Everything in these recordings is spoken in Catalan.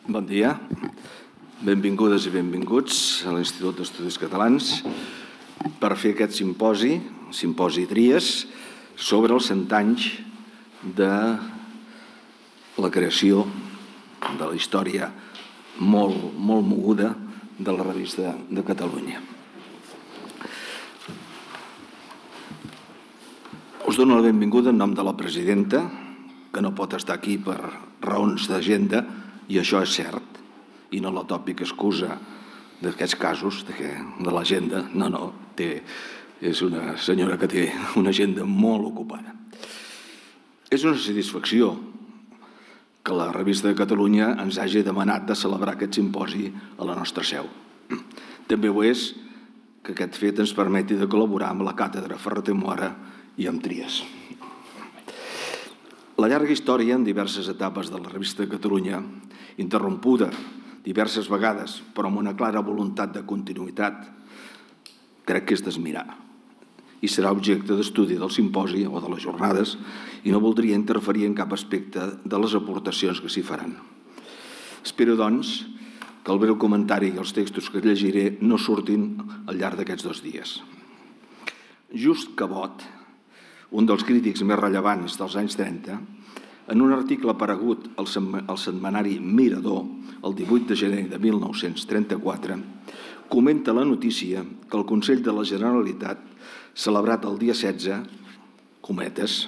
Bon dia. Benvingudes i benvinguts a l'Institut d'Estudis Catalans per fer aquest simposi Tries, sobre els 100 anys de la creació de la història molt moguda de la Revista de Catalunya. Us dono la benvinguda en nom de la presidenta, que no pot estar aquí per raons d'agenda, i això és cert, i no la tòpica excusa d'aquests casos de l'agenda. No, és una senyora que té una agenda molt ocupada. És una satisfacció que la Revista de Catalunya ens hagi demanat de celebrar aquest simposi a la nostra seu. També ho és que aquest fet ens permeti de col·laborar amb la càtedra Ferrater Moara i amb Tries. La llarga història en diverses etapes de la Revista de Catalunya, interrompuda diverses vegades, però amb una clara voluntat de continuïtat, crec que és d'admirar i serà objecte d'estudi del simposi o de les jornades, i no voldria interferir en cap aspecte de les aportacions que s'hi faran. Espero, doncs, que el breu comentari i els textos que llegiré no surtin al llarg d'aquests 2 dies. Just Cabot, un dels crítics més rellevants dels anys 30, en un article aparegut al setmanari Mirador el 18 de gener de 1934, comenta la notícia que el Consell de la Generalitat, celebrat el dia 16, cometes,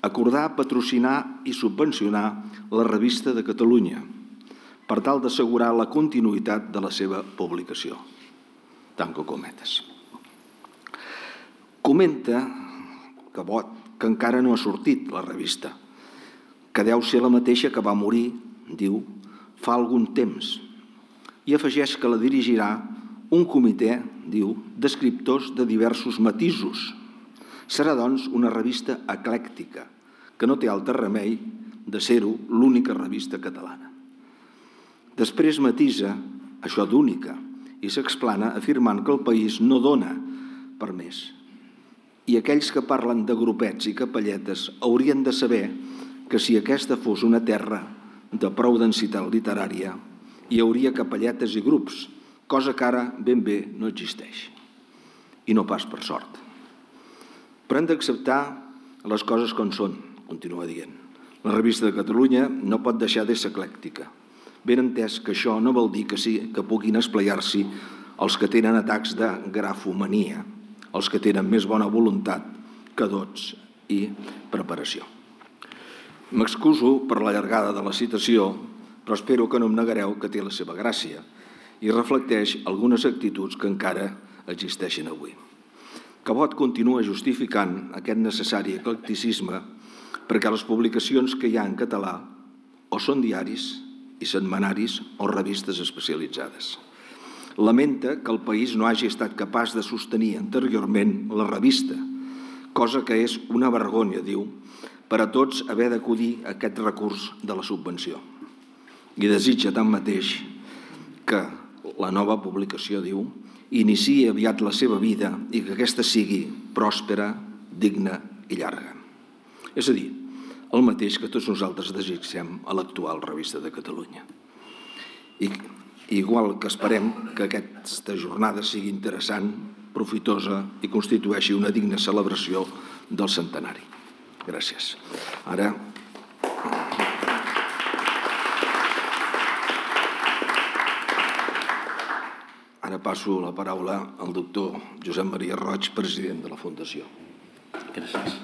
acordà patrocinar i subvencionar la Revista de Catalunya per tal d'assegurar la continuïtat de la seva publicació. Tanco cometes. Comenta Cabot que encara no ha sortit la revista, que deu ser la mateixa que va morir, diu, fa algun temps, i afegeix que la dirigirà un comitè, diu, d'escriptors de diversos matisos. Serà, doncs, una revista eclèctica, que no té altre remei de ser-ho l'única revista catalana. Després matisa això d'única i s'explana afirmant que el país no dona per més. I aquells que parlen de grupets i capelletes haurien de saber que si aquesta fos una terra de prou densitat literària, hi hauria capelletes i grups, cosa que ara ben bé no existeix. I no pas per sort. Però hem d'acceptar les coses com són, continua dient. La Revista de Catalunya no pot deixar d'ésser eclèctica. Ben entès que això no vol dir que puguin esplaiar-s'hi els que tenen atacs de grafomania, els que tenen més bona voluntat que dots i preparació. M'excuso per la llargada de la citació, però espero que no em negareu que té la seva gràcia i reflecteix algunes actituds que encara existeixen avui. Cabot continua justificant aquest necessari eclecticisme perquè les publicacions que hi ha en català o són diaris i setmanaris o revistes especialitzades. Lamenta que el país no hagi estat capaç de sostenir anteriorment la revista, cosa que és una vergonya, diu, per a tots haver d'acudir a aquest recurs de la subvenció. I desitja tanmateix que la nova publicació, diu, iniciï aviat la seva vida i que aquesta sigui pròspera, digna i llarga. És a dir, el mateix que tots nosaltres desitgem a l'actual Revista de Catalunya. Igual que esperem que aquesta jornada sigui interessant, profitosa i constitueixi una digna celebració del centenari. Gràcies. Ara passo la paraula al doctor Josep Maria Roig, president de la Fundació. Gràcies.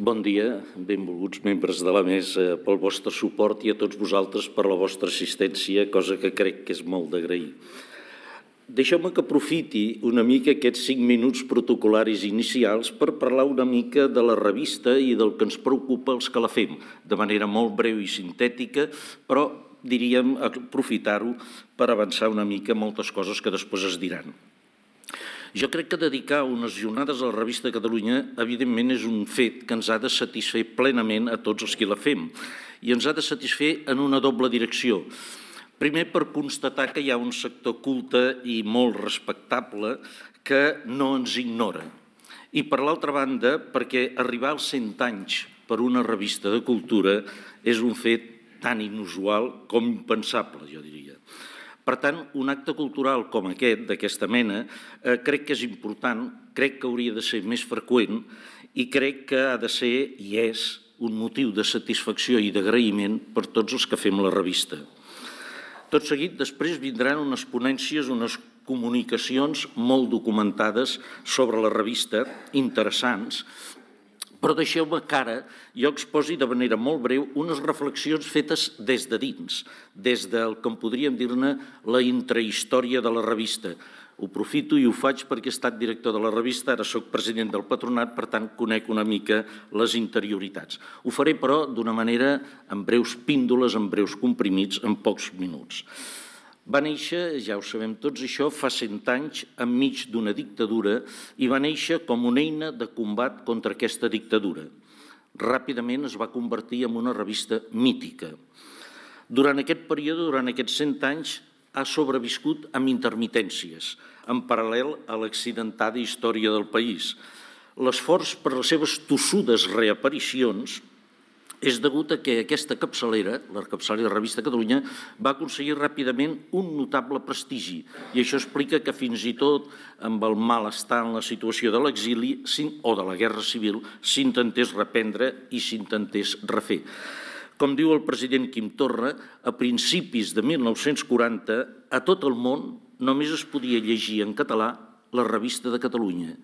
Bon dia, benvolguts membres de la mesa, pel vostre suport i a tots vosaltres per la vostra assistència, cosa que crec que és molt d'agrair. Deixeu-me que aprofiti una mica aquests 5 minuts protocolaris inicials per parlar una mica de la revista i del que ens preocupa els que la fem, de manera molt breu i sintètica, però diríem aprofitar-ho per avançar una mica moltes coses que després es diran. Jo crec que dedicar unes jornades a la Revista de Catalunya evidentment és un fet que ens ha de satisfer plenament a tots els que la fem i ens ha de satisfer en una doble direcció. Primer, per constatar que hi ha un sector culte i molt respectable que no ens ignora. I per l'altra banda, perquè arribar als 100 anys per una revista de cultura és un fet tan inusual com impensable, jo diria. Per tant, un acte cultural com aquest, d'aquesta mena, crec que és important, crec que hauria de ser més freqüent i crec que ha de ser i és un motiu de satisfacció i d'agraïment per tots els que fem la revista. Tot seguit, després vindran unes ponències, unes comunicacions molt documentades sobre la revista, interessants, però deixeu-me que ara jo exposi de manera molt breu unes reflexions fetes des de dins, des del que en podríem dir-ne la intrahistòria de la revista. Ho aprofito i ho faig perquè he estat director de la revista, ara soc president del patronat, per tant conec una mica les interioritats. Ho faré, però, d'una manera en breus píndoles, en breus comprimits, en pocs minuts. Va néixer, ja ho sabem tots això, fa 100 anys, enmig d'una dictadura, i va néixer com una eina de combat contra aquesta dictadura. Ràpidament es va convertir en una revista mítica. Durant aquest període, durant aquests 100 anys, ha sobreviscut amb intermitències, en paral·lel a l'accidentada història del país. L'esforç per les seves tossudes reaparicions és degut a que aquesta capçalera, la capçalera Revista Catalunya, va aconseguir ràpidament un notable prestigi i això explica que fins i tot amb el malestar en la situació de l'exili o de la guerra civil s'intentés reprendre i s'intentés refer. Com diu el president Quim Torra, a principis de 1940, a tot el món només es podia llegir en català la Revista de Catalunya.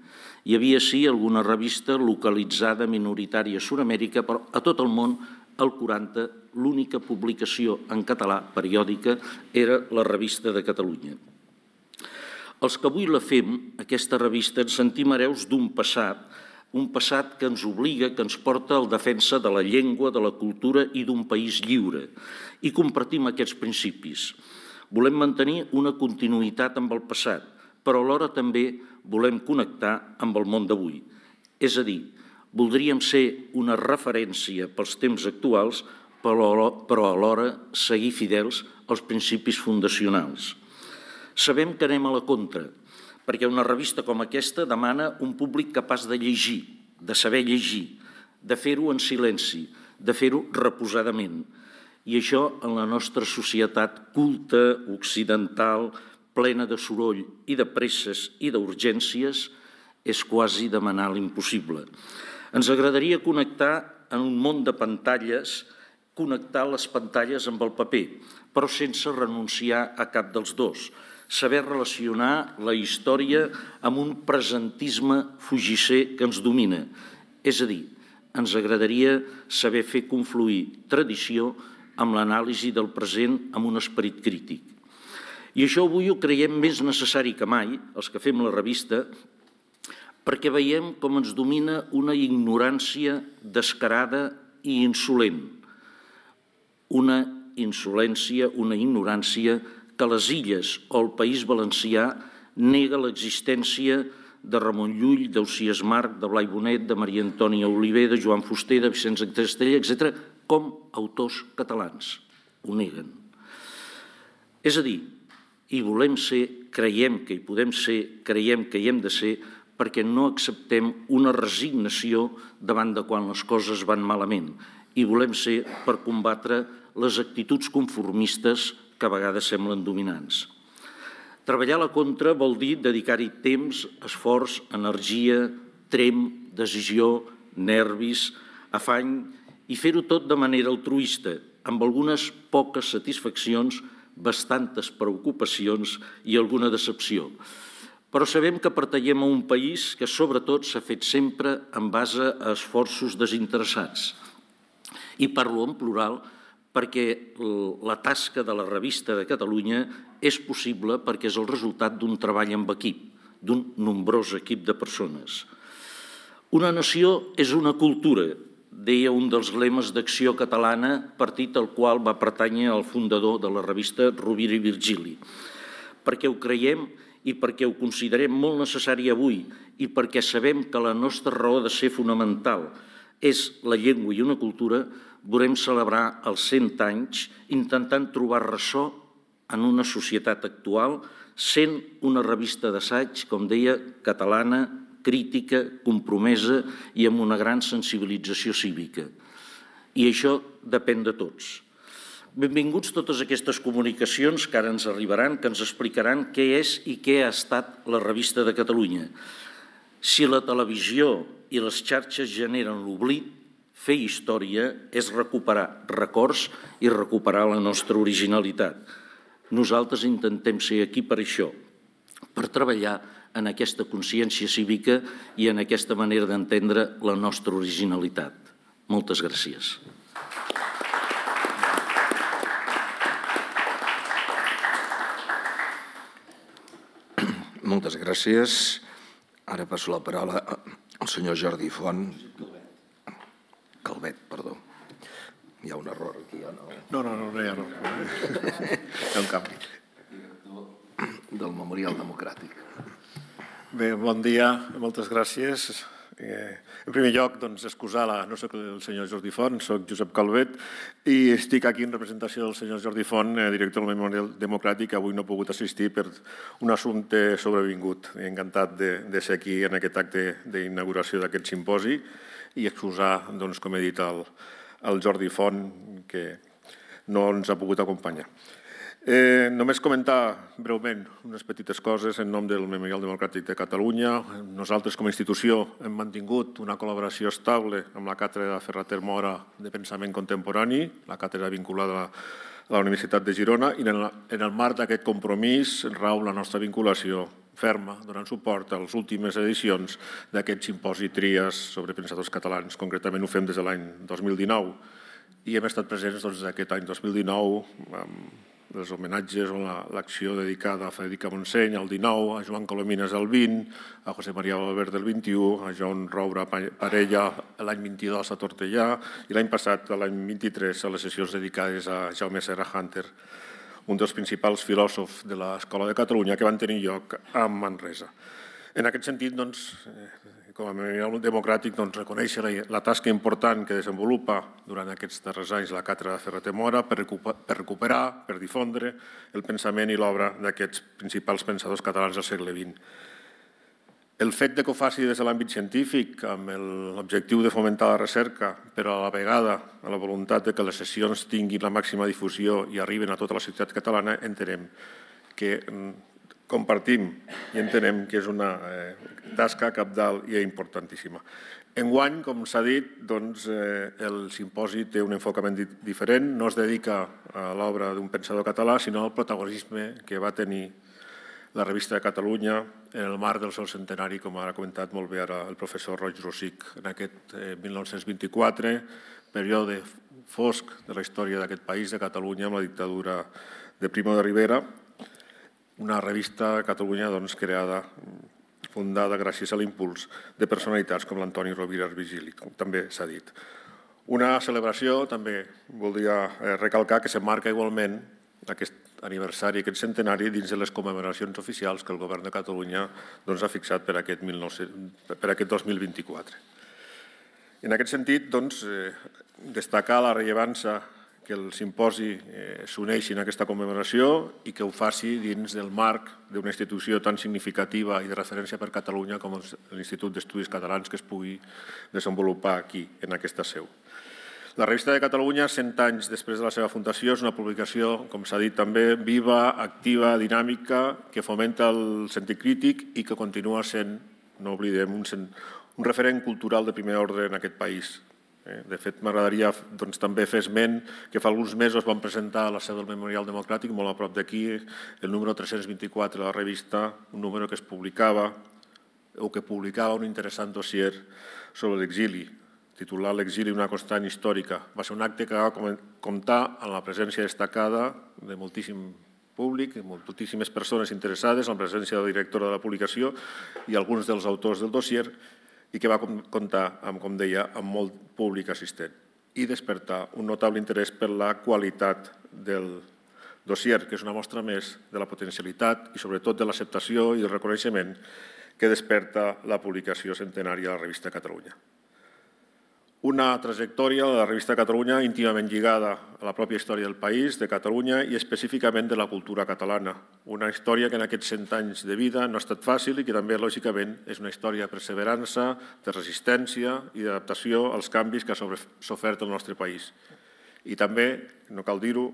Hi havia, sí, alguna revista localitzada minoritària a Sud-amèrica, però a tot el món, al 40, l'única publicació en català periòdica era la Revista de Catalunya. Els que avui la fem, aquesta revista, ens sentim hereus d'un passat que ens obliga, que ens porta al defensa de la llengua, de la cultura i d'un país lliure. I compartim aquests principis. Volem mantenir una continuïtat amb el passat, però alhora també volem connectar amb el món d'avui. És a dir, voldríem ser una referència pels temps actuals, però alhora seguir fidels als principis fundacionals. Sabem que anem a la contra, perquè una revista com aquesta demana un públic capaç de llegir, de saber llegir, de fer-ho en silenci, de fer-ho reposadament. I això en la nostra societat culta, occidental, plena de soroll i de presses i d'urgències, és quasi demanar l'impossible. Ens agradaria connectar en un món de pantalles, connectar les pantalles amb el paper, però sense renunciar a cap dels dos. Saber relacionar la història amb un presentisme fugisser que ens domina. És a dir, ens agradaria saber fer confluir tradició amb l'anàlisi del present amb un esperit crític. I això avui ho creiem més necessari que mai, els que fem la revista, perquè veiem com ens domina una ignorància descarada i insolent. Una insolència, una ignorància que a les Illes o al País Valencià nega l'existència de Ramon Llull, d'Ausiàs Marc, de Blai Bonet, de Maria Antònia Oliver, de Joan Fuster, de Vicenç Castella, etc., com autors catalans. Ho neguen. És a dir, hi volem ser, creiem que hi podem ser, creiem que hi hem de ser, perquè no acceptem una resignació davant de quan les coses van malament. I volem ser per combatre les actituds conformistes que a vegades semblen dominants. Treballar a la contra vol dir dedicar-hi temps, esforç, energia, trem, decisió, nervis, afany i fer-ho tot de manera altruista, amb algunes poques satisfaccions, bastantes preocupacions i alguna decepció. Però sabem que pertanyem a un país que sobretot s'ha fet sempre en base a esforços desinteressats. I parlo en plural perquè la tasca de la Revista de Catalunya és possible perquè és el resultat d'un treball amb equip, d'un nombrós equip de persones. Una nació és una cultura, deia un dels lemes d'Acció Catalana, partit al qual va pertànyer el fundador de la revista, Rovira i Virgili. Perquè ho creiem i perquè ho considerem molt necessari avui i perquè sabem que la nostra raó de ser fonamental és la llengua i una cultura, volem celebrar els 100 anys intentant trobar ressò en una societat actual, sent una revista d'assaig, com deia, catalana, crítica, compromesa i amb una gran sensibilització cívica. I això depèn de tots. Benvinguts totes aquestes comunicacions que ara ens arribaran, que ens explicaran què és i què ha estat la Revista de Catalunya. Si la televisió i les xarxes generen l'oblit, fer història és recuperar records i recuperar la nostra originalitat. Nosaltres intentem ser aquí per això, per treballar en aquesta consciència cívica i en aquesta manera d'entendre la nostra originalitat. Moltes gràcies. Moltes gràcies. Ara passo la paraula al senyor Jordi Font. Calvet, perdó. Hi ha un error aquí, o no? No hi ha error. Hi ha un canvi. Del Memorial Democràtic. Bé, bon dia, moltes gràcies. En primer lloc, excusar, no soc el senyor Jordi Font, soc Josep Calvet i estic aquí en representació del senyor Jordi Font, director del Memorial Democràtic, que avui no ha pogut assistir per un assumpte sobrevingut. Encantat de ser aquí en aquest acte d'inauguració d'aquest simposi i excusar, com he dit, el Jordi Font, que no ens ha pogut acompanyar. Només comentar breument unes petites coses en nom del Memorial Democràtic de Catalunya. Nosaltres, com a institució, hem mantingut una col·laboració estable amb la càtedra Ferrater Mora de Pensament Contemporani, la càtedra vinculada a la Universitat de Girona, i en el marc d'aquest compromís rau la nostra vinculació ferma, donant suport a les últimes edicions d'aquest simposi Tries sobre pensadors catalans. Concretament ho fem des de l'any 2019 i hem estat presents aquest any 2019 amb els homenatges o l'acció dedicada a Federica Montseny al 19, a Joan Colomines al 20, a José María Valverde al 21, a Joan Roura Parella l'any 22 a Tortellà i l'any passat, l'any 23, a les sessions dedicades a Jaume Serra Hunter, un dels principals filòsofs de l'Escola de Catalunya que van tenir lloc a Manresa. En aquest sentit, com a Memorial Democràtic, reconèixer la tasca important que desenvolupa durant aquests darrers anys la càtedra Ferrater Mora per recuperar, per difondre el pensament i l'obra d'aquests principals pensadors catalans del segle XX. El fet que ho faci des de l'àmbit científic, amb l'objectiu de fomentar la recerca, però a la vegada amb la voluntat que les sessions tinguin la màxima difusió i arriben a tota la societat catalana, entenem que compartim i entenem que és una tasca cabdal i importantíssima. Enguany, com s'ha dit, el simposi té un enfocament diferent, no es dedica a l'obra d'un pensador català, sinó al protagonisme que va tenir la Revista de Catalunya en el marc del seu centenari, com ha comentat molt bé ara el professor Roig Rosic, en aquest 1924, període fosc de la història d'aquest país, de Catalunya, amb la dictadura de Primo de Rivera, una revista a Catalunya creada, fundada gràcies a l'impuls de personalitats com l'Antoni Rovira Virgili, com també s'ha dit. Una celebració, també voldria recalcar, que s'emmarca igualment aquest aniversari, aquest centenari, dins de les commemoracions oficials que el Govern de Catalunya ha fixat per aquest 2024. En aquest sentit, destacar la rellevància que el simposi s'uneixi en aquesta commemoració i que ho faci dins del marc d'una institució tan significativa i de referència per Catalunya com l'Institut d'Estudis Catalans, que es pugui desenvolupar aquí, en aquesta seu. La Revista de Catalunya, 100 anys després de la seva fundació, és una publicació, com s'ha dit també, viva, activa, dinàmica, que fomenta el sentit crític i que continua sent, no oblidem, un referent cultural de primer ordre en aquest país. De fet, m'agradaria també fer esment que fa alguns mesos vam presentar a la seu del Memorial Democràtic, molt a prop d'aquí, el número 324 de la revista, un número que es publicava o que publicava un interessant dossier sobre l'exili, titulat L'exili, una constant històrica. Va ser un acte que va comptar amb la presència destacada de moltíssim públic, de moltíssimes persones interessades, amb la presència del director de la publicació i alguns dels autors del dossier, i que va comptar, com deia, amb molt públic assistent i despertar un notable interès per la qualitat del dossier, que és una mostra més de la potencialitat i sobretot de l'acceptació i el reconeixement que desperta la publicació centenària de la Revista de Catalunya. Una trajectòria de la Revista de Catalunya íntimament lligada a la pròpia història del país, de Catalunya i específicament de la cultura catalana. Una història que en aquests 100 anys de vida no ha estat fàcil i que també, lògicament, és una història de perseverança, de resistència i d'adaptació als canvis que ha sofert el nostre país. I també, no cal dir-ho,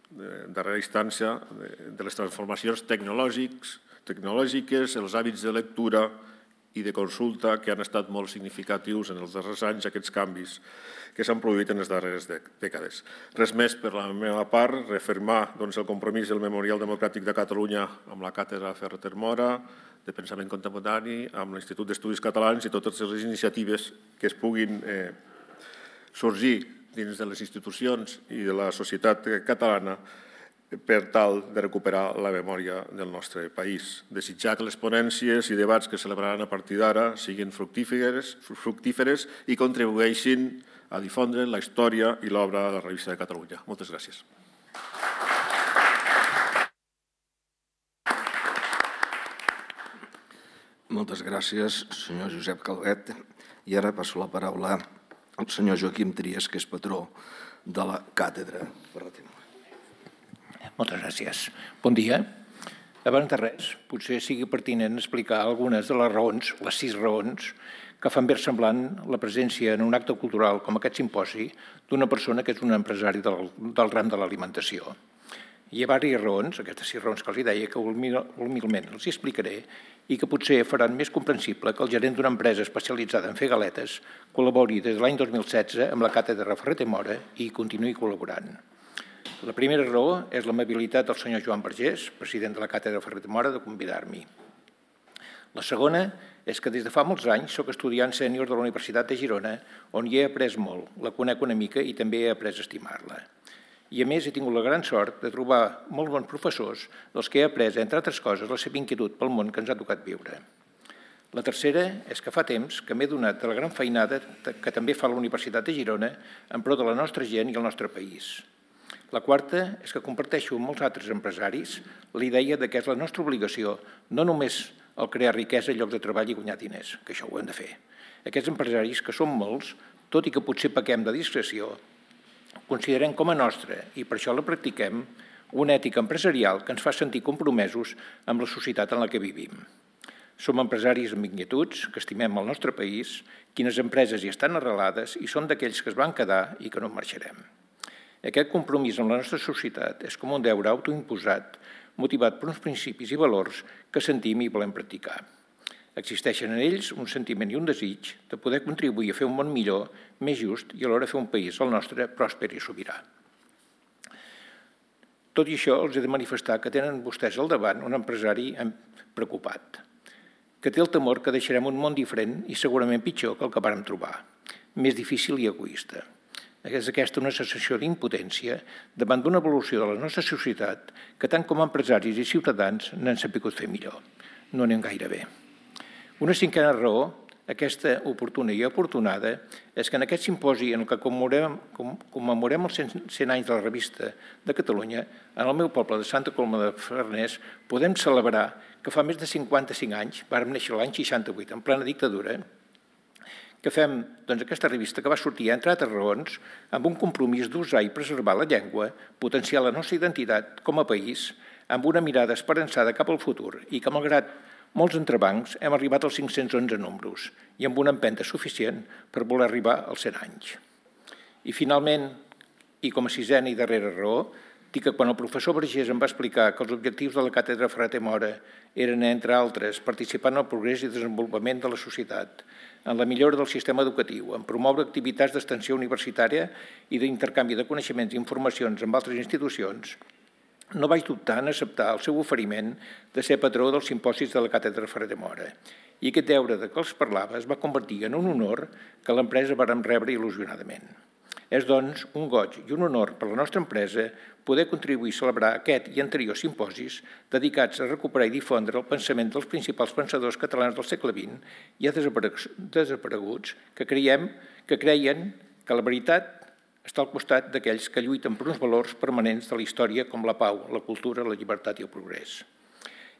darrera instància, de les transformacions tecnològiques, els hàbits de lectura i de consulta que han estat molt significatius en els darrers anys, aquests canvis que s'han produït en les darreres dècades. Res més per la meva part, reafirmar el compromís del Memorial Democràtic de Catalunya amb la Càtedra Ferrater Mora, de Pensament Contemporani, amb l'Institut d'Estudis Catalans i totes les iniciatives que es puguin sorgir dins de les institucions i de la societat catalana per tal de recuperar la memòria del nostre país. Desitjar que les ponències i debats que celebraran a partir d'ara siguin fructíferes i contribueixin a difondre la història i l'obra de la Revista de Catalunya. Moltes gràcies. Moltes gràcies, senyor Josep Calvet. I ara passo la paraula al senyor Joaquim Trias, que és patró de la Càtedra Ferrater Mora. Moltes gràcies. Bon dia. Abans de res, potser sigui pertinent explicar algunes de les raons, les 6 raons, que fan versemblant la presència en un acte cultural com aquest simposi d'una persona que és un empresari del ram de l'alimentació. Hi ha diverses raons, aquestes 6 raons que els deia, que humilment els explicaré i que potser faran més comprensible que el gerent d'una empresa especialitzada en fer galetes col·labori des de l'any 2016 amb la Càtedra Ferrater Mora i continuï col·laborant. La primera raó és l'amabilitat del senyor Joan Vergés, president de la Càtedra Ferrater Mora, de convidar-m'hi. La segona és que des de fa molts anys soc estudiant sènior de la Universitat de Girona, on hi he après molt, la conec una mica i també he après a estimar-la. I a més he tingut la gran sort de trobar molts bons professors dels que he après, entre altres coses, la seva inquietud pel món que ens ha tocat viure. La tercera és que fa temps que m'he donat de la gran feinada que també fa la Universitat de Girona en pro de la nostra gent i el nostre país. La quarta és que comparteixo amb molts altres empresaris la idea que és la nostra obligació no només el crear riquesa, llocs de treball i guanyar diners, que això ho hem de fer. Aquests empresaris, que són molts, tot i que potser pequem de discreció, considerem com a nostra, i per això la practiquem, una ètica empresarial que ens fa sentir compromesos amb la societat en la que vivim. Som empresaris amb inquietuds, que estimem el nostre país, quines empreses hi estan arrelades i som d'aquells que es van quedar i que no marxarem. Aquest compromís amb la nostra societat és com un deure autoimposat, motivat per uns principis i valors que sentim i volem practicar. Existeixen en ells un sentiment i un desig de poder contribuir a fer un món millor, més just i alhora fer un país, el nostre, pròsper i sobirà. Tot i això, els he de manifestar que tenen vostès al davant un empresari preocupat, que té el temor que deixarem un món diferent i segurament pitjor que el que vàrem trobar, més difícil i egoista. És aquesta una sensació d'impotència davant d'una evolució de la nostra societat que tant com a empresaris i ciutadans n'han sabut fer millor. No anem gaire bé. Una cinquena raó, aquesta oportuna i afortunada, és que en aquest simposi en què commemorem els 100 anys de la Revista de Catalunya, en el meu poble de Santa Coloma de Farners, podem celebrar que fa més de 55 anys, vàrem néixer l'any 68, en plena dictadura, que fem aquesta revista que va sortir, entre altres raons, amb un compromís d'usar i preservar la llengua, potenciar la nostra identitat com a país, amb una mirada esperançada cap al futur i que, malgrat molts entrebancs, hem arribat als 511 números i amb una empenta suficient per voler arribar als 100 anys. I finalment, i com a sisena i darrera raó, dic que quan el professor Vergés em va explicar que els objectius de la Càtedra Ferrater Mora eren, entre altres, participar en el progrés i desenvolupament de la societat, en la millora del sistema educatiu, en promoure activitats d'extensió universitària i d'intercanvi de coneixements i informacions amb altres institucions, no vaig dubtar en acceptar el seu oferiment de ser patró dels simposis de la Càtedra Ferrater Mora. I aquest deure de què els parlava es va convertir en un honor que l'empresa vàrem rebre il·lusionadament. És, doncs, un goig i un honor per a la nostra empresa poder contribuir a celebrar aquest i anteriors simposis dedicats a recuperar i difondre el pensament dels principals pensadors catalans del segle XX i desapareguts que creien que la veritat està al costat d'aquells que lluiten per uns valors permanents de la història com la pau, la cultura, la llibertat i el progrés.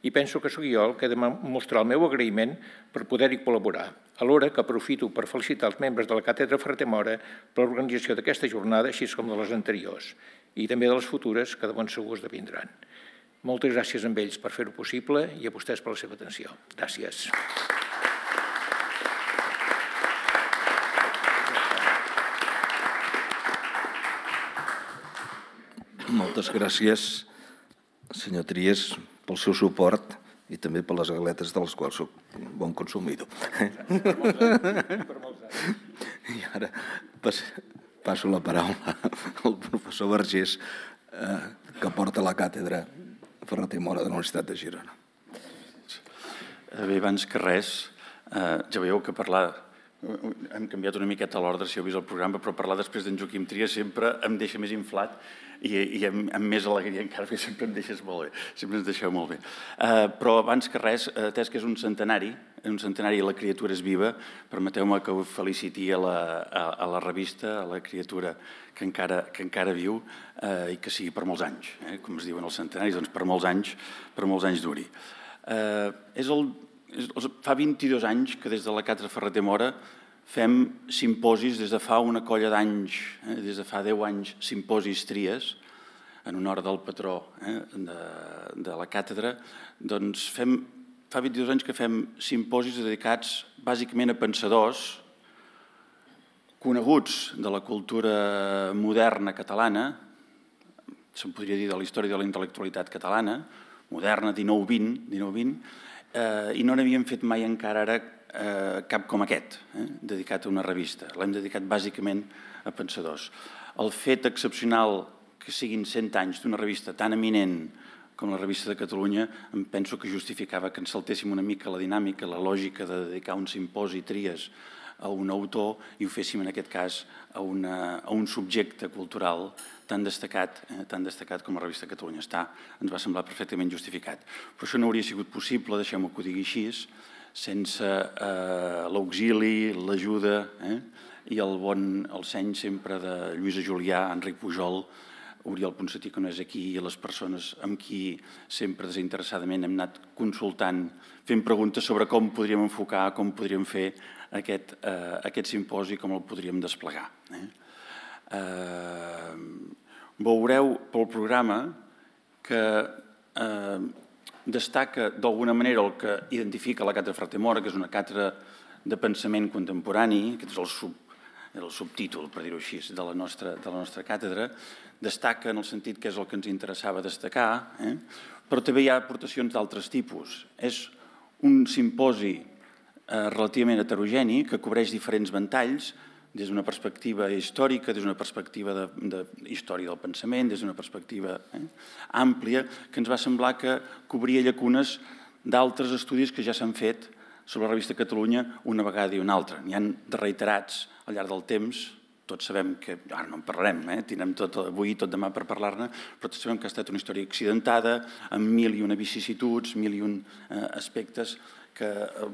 I penso que sóc jo el que he de mostrar el meu agraïment per poder-hi col·laborar, alhora que aprofito per felicitar els membres de la Càtedra Ferrater Mora per l'organització d'aquesta jornada, així com de les anteriors, i també de les futures que de bon segur esdevindran. Moltes gràcies a ells per fer-ho possible i a vostès per la seva atenció. Gràcies. Moltes gràcies, senyor Trias, pel seu suport i també per les galetes de les quals soc bon consumidor. I ara passo la paraula al professor Vergés, que porta la càtedra Ferrater Mora de la Universitat de Girona. Bé, abans que res, ja veieu que parlar... Hem canviat una miqueta l'ordre, si heu vist el programa, però parlar després d'en Joaquim Trias sempre em deixa més inflat i amb més alegria encara, perquè sempre em deixes molt bé, sempre ens deixeu molt bé. Però abans que res, atès que és un centenari i la criatura és viva, permeteu-me que ho feliciti a la revista, a la criatura que encara viu i que sigui per molts anys. Com es diuen els centenaris, doncs per molts anys duri. Fa 22 anys que des de la càtedra Ferrater Mora fem simposis des de fa una colla d'anys, des de fa 10 anys, simposis Trias, en honor del patró de la càtedra. Doncs fa 22 anys que fem simposis dedicats bàsicament a pensadors coneguts de la cultura moderna catalana, se'n podria dir de la història de la intel·lectualitat catalana, moderna, 19-20, i no n'havíem fet mai encara ara cap com aquest, dedicat a una revista. L'hem dedicat bàsicament a pensadors. El fet excepcional que siguin 100 anys d'una revista tan eminent com la Revista de Catalunya, em penso que justificava que ens saltéssim una mica la dinàmica, la lògica de dedicar un simposi Trias a un autor i ho féssim en aquest cas a un subjecte cultural tan destacat com la Revista de Catalunya està. Ens va semblar perfectament justificat. Però això no hauria sigut possible, deixeu-me que ho digui així, sense l'auxili, l'ajuda i el seny sempre de Lluïsa Julià, Enric Pujol, Oriol Ponsatí, que no és aquí, i les persones amb qui sempre desinteressadament hem anat consultant, fent preguntes sobre com podríem enfocar, com podríem fer aquest simposi, com el podríem desplegar. Veureu pel programa que destaca d'alguna manera el que identifica la càtedra Ferrater Mora, que és una càtedra de pensament contemporani, aquest és el subtítol, per dir-ho així, de la nostra càtedra, destaca en el sentit que és el que ens interessava destacar, però també hi ha aportacions d'altres tipus. És un simposi relativament heterogeni que cobreix diferents ventalls, des d'una perspectiva històrica, des d'una perspectiva de història del pensament, des d'una perspectiva àmplia, que ens va semblar que cobria llacunes d'altres estudis que ja s'han fet sobre la Revista de Catalunya una vegada i una altra. N'hi ha de reiterats al llarg del temps, tots sabem que, ara no en parlarem, tindrem tot avui i tot demà per parlar-ne, però tots sabem que ha estat una història accidentada, amb 1001 vicissituds, 1001 aspectes que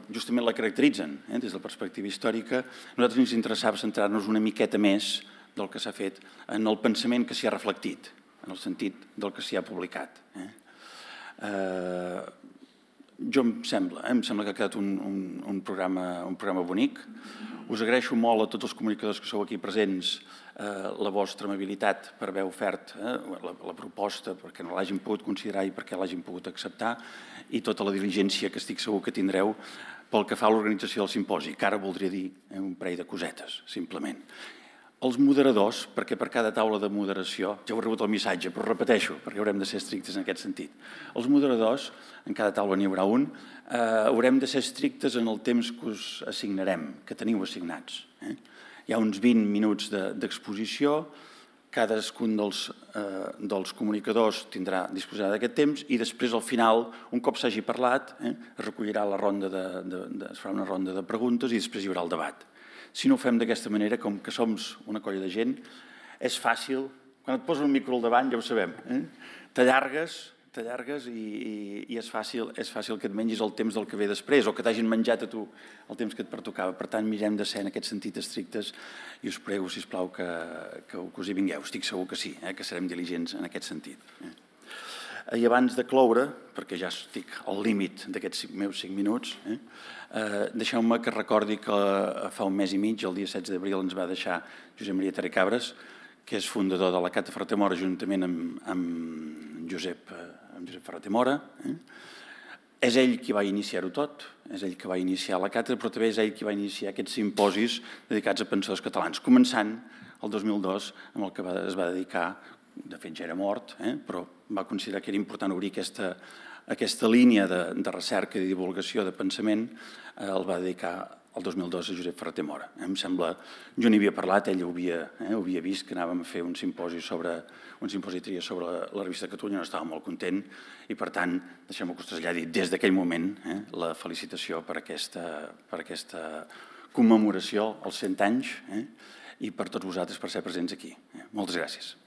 justament la caracteritzen des de la perspectiva històrica. A nosaltres ens interessava centrar-nos una miqueta més del que s'ha fet en el pensament que s'hi ha reflectit, en el sentit del que s'hi ha publicat. Em sembla que ha quedat un programa bonic. Us agraeixo molt a tots els comunicadors que sou aquí presents la vostra amabilitat per haver ofert la proposta, perquè no l'hagin pogut considerar i perquè l'hagin pogut acceptar, i tota la diligència que estic segur que tindreu pel que fa a l'organització del simposi, que ara voldria dir un parell de cosetes, simplement. Els moderadors, perquè per cada taula de moderació, ja heu rebut el missatge, però repeteixo, perquè haurem de ser estrictes en aquest sentit. Els moderadors, en cada taula n'hi haurà un, haurem de ser estrictes en el temps que us assignarem, que teniu assignats. Hi ha uns 20 minuts d'exposició, cadascun dels comunicadors disposarà d'aquest temps i després, al final, un cop s'hagi parlat, es recollirà es farà una ronda de preguntes i després hi haurà el debat. Si no ho fem d'aquesta manera, com que som una colla de gent, és fàcil, quan et posen un micro al davant ja ho sabem, t'allargues i és fàcil que et mengis el temps del que ve després o que t'hagin menjat a tu el temps que et pertocava. Per tant, mirem de ser en aquest sentit estrictes i us prego, sisplau, que us hi vingueu. Estic segur que sí, que serem diligents en aquest sentit. I abans de cloure, perquè ja estic al límit d'aquests meus 5 minuts, deixeu-me que recordi que fa un mes i mig, el dia 16 d'abril, ens va deixar Josep Maria Terracabres, que és fundador de la càtedra Ferrater Mora, juntament amb Josep Ferrater Mora. És ell qui va iniciar-ho tot, és ell qui va iniciar la càtedra, però també és ell qui va iniciar aquests simposis dedicats a pensadors catalans, començant el 2002 amb el que es va dedicar de fet ja era mort, però va considerar que era important obrir aquesta línia de recerca i divulgació de pensament, el va dedicar el 2002 a Josep Ferrater Mora. Em sembla, jo n'hi havia parlat, ell ho havia vist, que anàvem a fer un simposi i tria sobre la revista de Catalunya, no estava molt content i, per tant, deixem-me que us traslladi des d'aquell moment la felicitació per aquesta commemoració als 100 anys i per tots vosaltres per ser presents aquí. Moltes gràcies.